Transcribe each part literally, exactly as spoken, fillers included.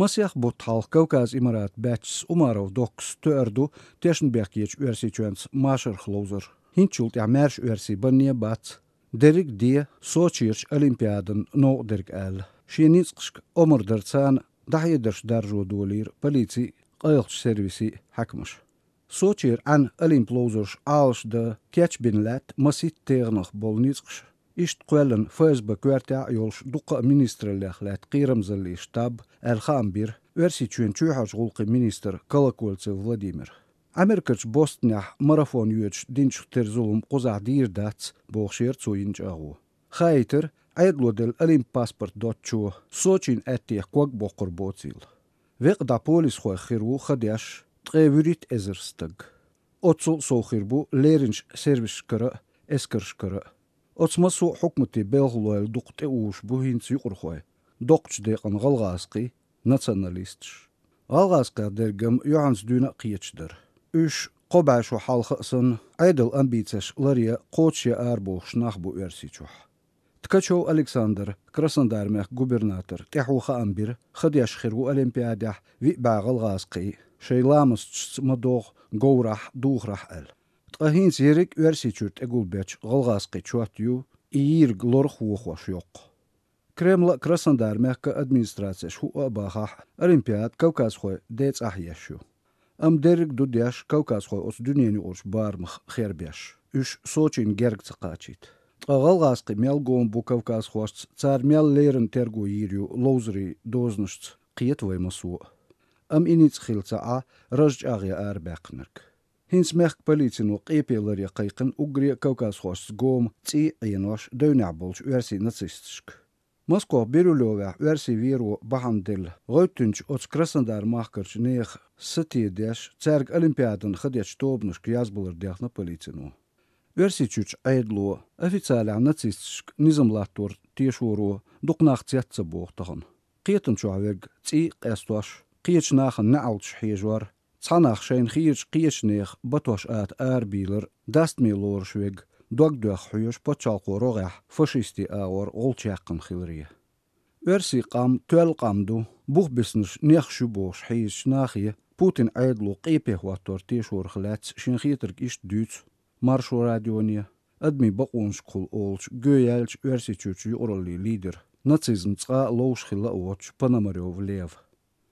Масех бутт хьалха Кавказ Имарат баьчча Умаров Доккас тоьар ду тешнабехкечу Оьрсийчоьнца машарх ловзар. ХӀинцачул тӀаьхьа маьрша оьрсий банне а бац. Дерриг а де Сочерчу Олимпиадан новкъа дерг аьлла. Шен ницкъашка омра дар царна дӀахьедарш даржо долийра полици а, къайлахчу сервиси а, хьаькамаш. Сочера Ӏан Олимп ловзарш Ӏалашдан кечбина лаьтта масийтта тегӀанах болу ницкъаш. Иштта кхоьллина ФСБ коьртехь а йолуш дуккха а министраллех лаьтта кхерамзаллин штаб аьлла хаам бира Оьрсийчоьнан чоьхьарчу гӀуллакхийн министра Колокольцев Владимира. Америкерчу Бостонехь марафон йоьдуш динчух тера зулам кхузахь дийр дац, бохуш яра цо йина чӀагӀо. Хаийтира, Ӏедало делла Олимп паспорт доцучо Сочина аьттех ког боккхур боцийла. Векъа дӀа полисхойх хир ву ха деш ткъе вуьрхӀитта эзар стаг. Оццул а сов хир бу леринчу сервисашкара а, эскаршкара а. Оцу массо а хьукматийн белхалойла дукха тӀеуьйш бу хӀинца юкъархой, доккхачу декъана гӀалгӀазкхий, националисташ. ГӀалгӀазкхех дерг-м юьхьанца дуьйна а кхеташ дара. Уьш, кхо бӀе шо хьалха а санна, Ӏедалан амбицеш ларъян, кхочушъян арабохуш нах бу Оьрсийчохь. Ткачев Александр, Краснодар-мехкан губернатор, тӀаьхьо хаам бира, ха деш хир ву Олимпиадехь виъ бӀе гӀалгӀазкхий, шайн ламасташца ма-догӀу говрахь а, духарахь а аьлла. Ткъа хӀинца ерриг а Оьрсийчуьра тӀегулбечу гӀалгӀазкхийн чот ю и йийриг лорах а вохош йоккха. Кремлан а, Краснодар-мехкан администрацешан хӀуъа а бахахь, Олимпиада кавказхойн ден цӀахь еш ю. Амма дерриг а ду деш кавказхой оцу дуьненан юкъарчу барамах хербеш, уьш Сочина герга ца кхачийта. Ткъа гӀалгӀазкхий мел гома бу кавказхошца, цара мел леррина терго йийр ю ловзарийн дозанашца, кхета вай массо а. Амма и ницкъ хилла ца Ӏа, ража чӀагӀъян арабаьккхинарг. ХӀинца мехкан полицино къепе ларъян кхайкхина уггаре а кавказхошца гома цӀий а Ӏенош девнехь болчу оьрсийн нацисташка. Москох Бирюлевехь оьрсийн веро бахьана делла, гӀевттинчу оцу Краснодар-махкарчу нехан сатедеш, цаьрга Олимпиадана ха дечу тобанашка язбалар дехна полицино. Оьрсийчуьрчу Ӏедало официалехь нацисташка низам латтор тешоро дукха нах цец ца боху тахана. Кхетам чохь верг цӀий а къестош, кхечу нахана неӀалташ хьежор, цхьа нах шайна хийрачу кхечу нехан батош ата арабийлар, дастаме лоруш верг дог доьхна хьоьжуш пачхьалкхан рогӀехь фашистийн агӀор гӀулч яьккхина хиларе. Оьрсийн къам тоьлла къам ду, бух бисинарш нехаш ю бохуш хьийзачу нахе Путинан Ӏедало къепе хӀоттор тешорах лаьцна шен хетарг иштта дуьйцу Маршо радионе, адамийн бакъонашкахула олучу гоьяьллачу Оьрсийчуьрчу юкъараллин лидера, нацизм цкъа а ловш хилла а воцучу Пономарёв Лева.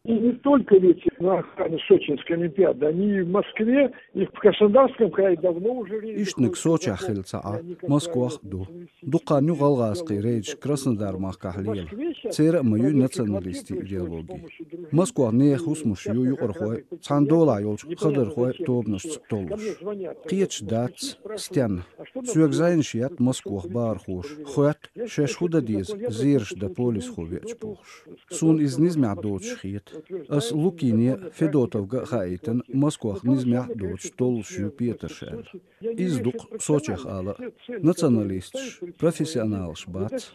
И не только ведь на охране Сочинской Олимпиады, они и в Москве, и в Краснодарском крае давно уже рейтинг. Иштаниг Сочехь хилла ца Ӏа, Москвах а ду. Дукха хан ю гӀалгӀазкхийн рейдаш Краснодар-махкахь лела. Церан а ма ю националистийн идеологи. Москвах нехан хӀусамаш ю юкъархой, цхьана долахь йолчу хадархойн тобанашца толлуш. Кхеташ дац, стенна. Соьга зӀенаш етта Москвах бахархоша, хоьтту, шаьш хӀун дан деза, зераш дан полисхо веача бохуш. Суна иза низамехь доцуш хета. Ас Лукине а, Федотовга а хаийтина, Москвах низамехь а доцуш толлуш ю петарш аьлла. Иза ду-кх Сочех ала а. Националисташ профессионалаш бац.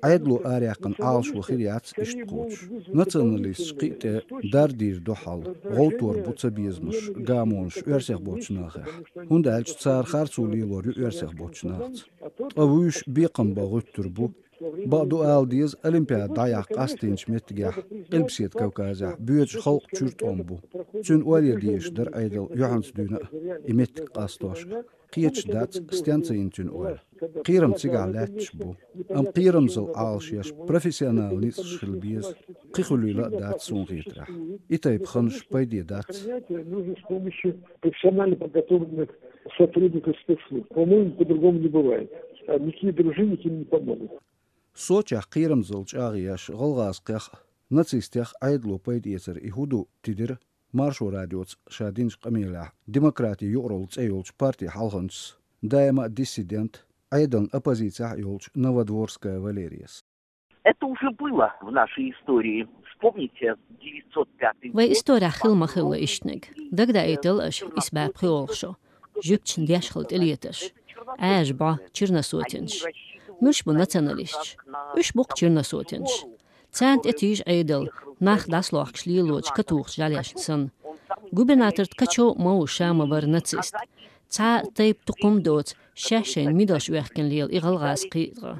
Ӏедало араяьккхина Ӏалашо хир яц иштта кхочуш. Националисташ кхин а тӀе дар дийр ду хьал, гӀовттор бу цабезамаш, гамонаш оьрсех боцчу нахехь. ХӀунда аьлча цара харцо лелор ю оьрсех боцчу нахаца. Ткъа вуьйш бекхам бан гӀуьттур бу. Бакъду ала деза, Олимпиада дӀаяккха къастийначу меттигехь, Къилбаседа Кавказехь боьдуш халкъ чуьра тӀом бу. Цуьнан ойла ян дезаш дара Ӏедал юьхьанца дуьйна а и меттиг къастош а. Кхеташ дац, стенна ца йина цуьнан ойла. Кхерам цигахь лаьтташ бу. Амма кхерамзалла Ӏалашъеш профессионал ницкъаш хила беза. Кхин хуьлийла а дац суна хетарехь. И тайпа ханаш пайде дац. Нужно с помощью профессионально подготовленных сотрудников спецслужб. По-моему, по-другому не бывает. А никакие дружинники им не помогут. Сочехь кхерамзалла чӀагӀъеш гӀалгӀазкхех а, нацистех а Ӏедало пайдаэцар и хӀун ду тидира Маршо радиоца ша динчу къамелехь «Демократин юкъаралла» цӀе йолчу партин хьалханчас, даима а диссидент, Ӏедална оппозицехь а йолчу Новодворская Валерияс. Это уже было в нашей истории. Вспомните, девятьсот пятый год. Вайн исторехь хилла ма хилла иштаниг. Дагадаийтал аша исс бӀе пхоьалгӀа шо. Жуьгташна деш хилла тӀелетарш. Ӏаьржа бӀо, черносотенаш. Муьлш бу националисташ? Уьш бу-кх черносотенаш. Царна тӀетийжа Ӏедал, нах дӀасалохкуш лелочу катухачу жӀаьлешна санна. Губернатор Ткачев ма ву, ша ма вара нацист. Цхьа а тайпа тукхум а доцу, шаьш шайна мидалш оьхкина лела и гӀалгӀазкхий а.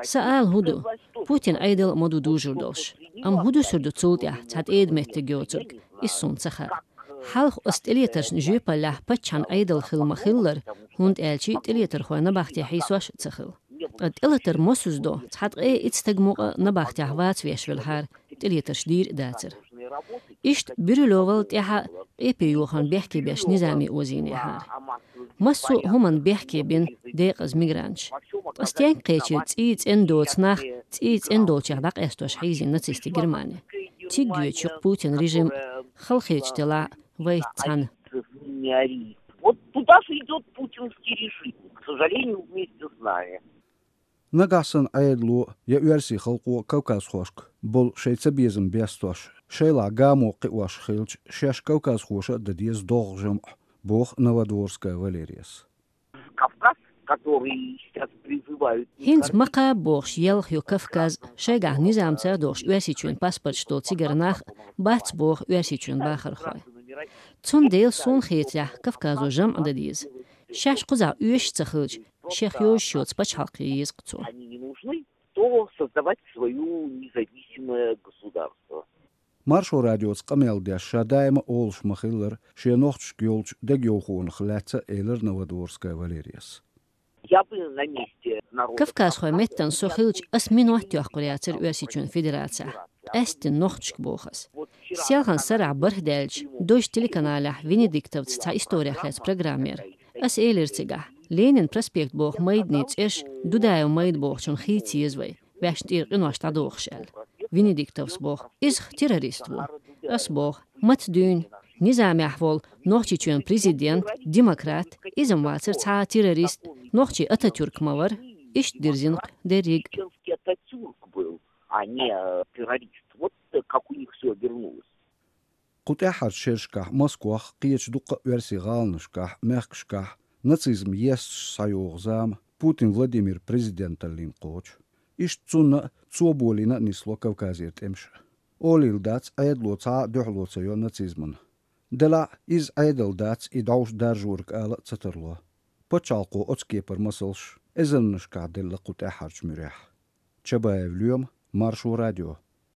Сан ала хӀун ду? Путинан Ӏедал а ма ду дужур долуш. Амма хӀун дусар ду цул тӀехь, цхьа тӀеда меттиг йоцург, иза суна ца хаьа. Хьалха оцу тӀелетаршна жоьпаллехь паччахьан Ӏедал хилла ма-хиллара, хӀунда аьлча тӀелетархой набахте хьийсош а ца хилла. Ткъа тӀелатар мосазза до, цхьа ткъе итт стаг мукъа набахтехь ваца веш велахьара, тӀелетарш дийр а дацара. Иштта Бирюлевал тӀаьхьа къепе йохарна бехке беш низаме озийнехьара. Массо а хӀуманна бехке бина декъаза мигранташ. Ткъа стенга кхечира цӀий цӀена доцу нах, цӀий цӀена долчех дӀакъастош хьийзийна нацистийн Германи. Цига йоьдуш ю-кх Путин режим, халахеташ делахь а, вайца цхьаьна. Вот туда же идет путинский режим, к сожалению, вместе с нами. Нагахь санна Ӏедало я оьрсийн халкъо кавказхошка болу шайн цабезам бестош, шайлахь гамо кхиош хилча, шаьш кавказхоша а дан деза догӀу жамӀ, боху Новодворская Валерияс. Кавказ, который сейчас призывают... ХӀинца ма кхаба бохуш елха ю Кавказ, шайгахь низамца а дохуш Оьрсийчоьнан паспорташ долу цигара нах а бац боху Оьрсийчоьнан бахархой. Цундела суна хетарехь Кавказо жамӀ дан деза. Шаьш кхузахь оьшуш а ца хилча, шех йозуш йоцу пачхьалкх ян еза-кх цо. Они не нужны, то создавать свое независимое государство. Маршо радиоца къамел деш ша даима олуш ма-хиллара, шен нохчашка йолчу дегайовхонах лаьцна элира Новодворская Валерияс. Я бы на месте народа... Кавказхой меттан со хилча, ас минот йоккхур яцара Оьрсийчоьнан Федерацехь. Къаьсттина нохчашка боху ас. Селхана сарахь бархӀ даьлча, Дождь телеканалехь Венедиктовца цхьа историх лаьцна программа яра. Ас элира цигахь, Ленин проспект боху майданийн цӀераш Дудаев майда бохучунна хийца еза вай, ваьшна тӀера къинош дӀадохуш аьлла. Венедиктовс боху, иза-х террорист ву. Ас боху, маца дуьйна, низамехь волу Нохчийчоьнан президент, демократ, иза-м вацара цхьа а террорист, нохчийн Ататюрк ма вара, иштта дирзина-кх дерриг а. Чеченский Ататюрк был, а не э, террорист. Вот э, как у них все обернулось. Кху тӀаьххьарчу шерашкахь Москвахь, кхечу дуккха а оьрсийн гӀаланашкахь, мехкашкахь нацизм есташ схьайогӀу зама Путин Владимир президенталлина кхочу. Иштта цунна а, цо болийна а нисло Кавказера тӀемаш. Олийла дац, Ӏедало цхьа а дуьхьало ца йо нацизмана. Делахь а, иза Ӏедал дац и дӀовш даржориг ала а ца тарло. Пачхьалкхо оцу кепара масалш эзарнашкахь делла кху тӀаьххьарчу муьрехь. Чабаев Лоьма, Маршо радио.